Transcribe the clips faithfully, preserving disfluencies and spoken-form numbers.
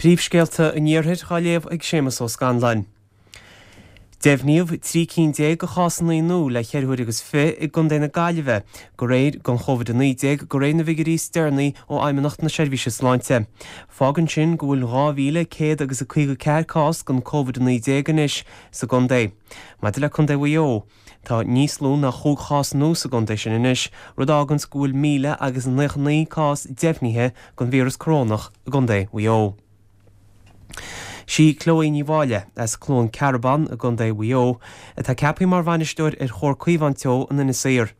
Príomhscéalta an Iarthair á léamh ag Séamus Ó Scanláin. Deimhníodh trí cinn déag de chásanna nua le ceithre huaire agus fiche i gContae na Gaillimhe go réir den Chóivid a naoi déag de réir na bhfigiúirí is deireanaí ó Fheidhmeannacht na Seirbhíse Sláinte. Fágann sin go bhfuil dhá mhíle céad agus a caoga ceathair cás den Covid a naoi déag anois sa gcontae. Maidir le Contae Mhaigh Eo, tá níos lú ná chúig chás nua sa gcontae sin anois, rud a fháganns go bhfuil míle agus naocha naoi cás deimhnithe den víreas corónach i gContae Mhaigh Eo. Sí Chloe Ní Mháille, as Cluain Cearbán i gContae Mhaigh Eo, atá ceaptha mar bhainisteoir ar Chomhar Caomhán Teo in Inis Oírr.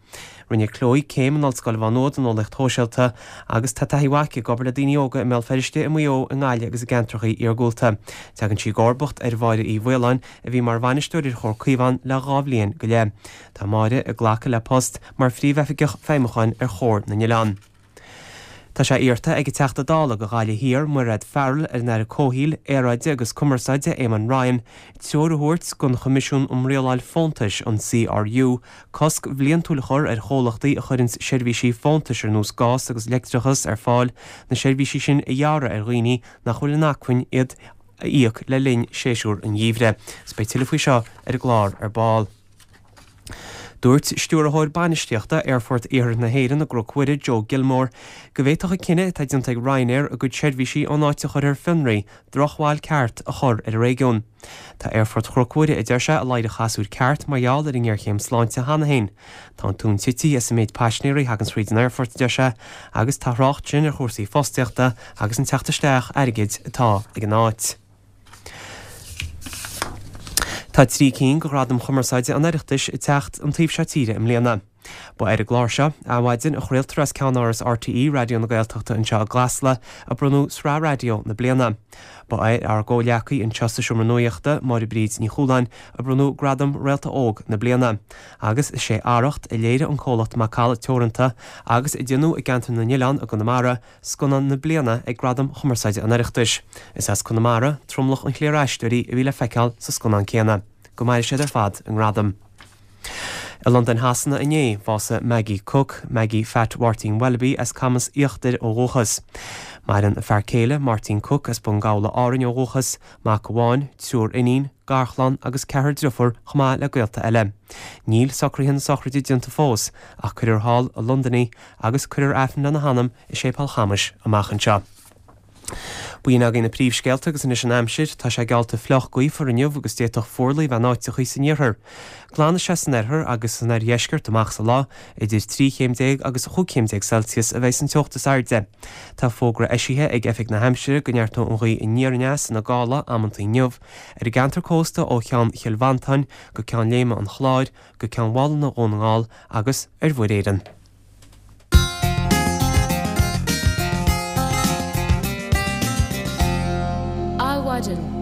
Rinne Chloe céim in Ollscoil Mhá Nuad in Eolaíocht Shóisialta agus tá taithí mhaith aici ag obair le daoine óga i mBéal Feirste, i Maigh Eo, i nGaillimh agus i gceantracha iargúlta. Tagann sí i gcomharbacht ar Mháire Uí Mhaoláin a bhí mar bhainisteoir ar Chomhar Caomhán le dhá bhliain go leith. Tá Máire ag glacadh le post mar Phríomhoifigeach Feidhmiúcháin ar Chomhar na nOileán. Tá sé iarrta ag an Teachta Dála do Ghaillimh Thiar, Mairéad Farrell, ar an Aire Comhshaoil, Aeráide agus Cumarsáide, Eamon Ryan, treoir a thabhairt don Choimisiún um Rialáil Fóntais, an CRU, cosc bhliantúil a chur ar chomhlachtaí a chuireanns seirbhísí fóntais ar nós gás agus leictreachas ar fáil, na seirbhísí sin a ghearradh ar dhaoine nach bhfuil in acmhainn iad a íoc le linn séasúr an gheimhridh. Is beidh tuilleadh faoi seo ar an gclár ar ball. Dúirt Stiúrthóir Bainistíochta Aerfort Iarthar na hÉireann i gCnoc Mhuire, Joe Gilmore, go bhféadfadh an cinneadh atá déanta ag Ryanair a gcuid seirbhísí ón áit a chur ar fionraí drochbhail ceart a chur ar an réigiún. Tá Aerfort Chnoc Mhuire, a deir sé, i ladhar an chasúir ceart mar gheall ar an ngéarchéim sláinte cheana féin. Tá an tóin tite as an méid paisinéirí a thagann thríd an aerfort, a deir sé, agus tá thrácht sin ar chúrsaí fostaíochta agus an teacht isteach airgid atá ag an áit. Tá trí cinn de Ghradaim Chumarsáide an Oireachtais ag teacht an taobh seo tíre i mbliana. Ba ar an gclár seo, Adhmhaidin, a chraoltar as ceannáras RTÉ Raidió na Gaeltachta anseo i gCasla, a bronnadh Sraith Raidió na Bliana. Ba ar ár gcomhghleacaí anseo sa Seomra Nuachta, Máire Bríd Ní Chualáin, a bronnadh Gradam Réalta Óg na Bliana. Agus is é Arracht, a léirigh an comhlacht Macalla Teoranta agus a déanadh i gCeantar na nOileán i gConamara, Scannán na Bliana ag Gradaim Chumarsáide an Oireachtais. Is as Conamara tromlach an chliar aisteoirí a bhí le feiceáil sa scannán céanna. Go maire siad ar fad a ngradam. I Londain Shasana inné, bhásaigh Maggie Cooke, Maggie Phat Mháirtín Welby as Camas Íochtair ó dhúchas. Maireann a fear céile, Máirtín Cooke as Bun Gabhla Árainn ó dhúchas, mac amháin, triúr iníon, garchlann agus ceathrar driofúr chomh maith le gaolta eile. Níl socruithe na sochraide déanta fós ach cuirfear thall i Londain í agus cuirfear Aifreann lena hanam i Séipéal Chamais amach anseo. B'in agaibh na príomhscéalta agus anois an aimsir, tá sé geallta fliuch gaofar inniu agus d'fhéadfadh fuarlaigh a bheith in áiteachaí san iarthar. Glanfaidh sé san oirthear agus san oirdheisceart amach sa lá, idir trí chéim déag agus chúig chéim déag Celsius a bheidh san teocht is airde. Tá fógra eisithe ag Oifig na hAimsire go neartóidh an ghaoth aniar aneas ina gála amantaí inniu ar an gceantar cósta ó Cheann Chill Mhantáin go Ceann Léime an Chláir go Ceann Mhálanna Dhún na nGall agus ar Mhuir Éireann. Adhmhaidin.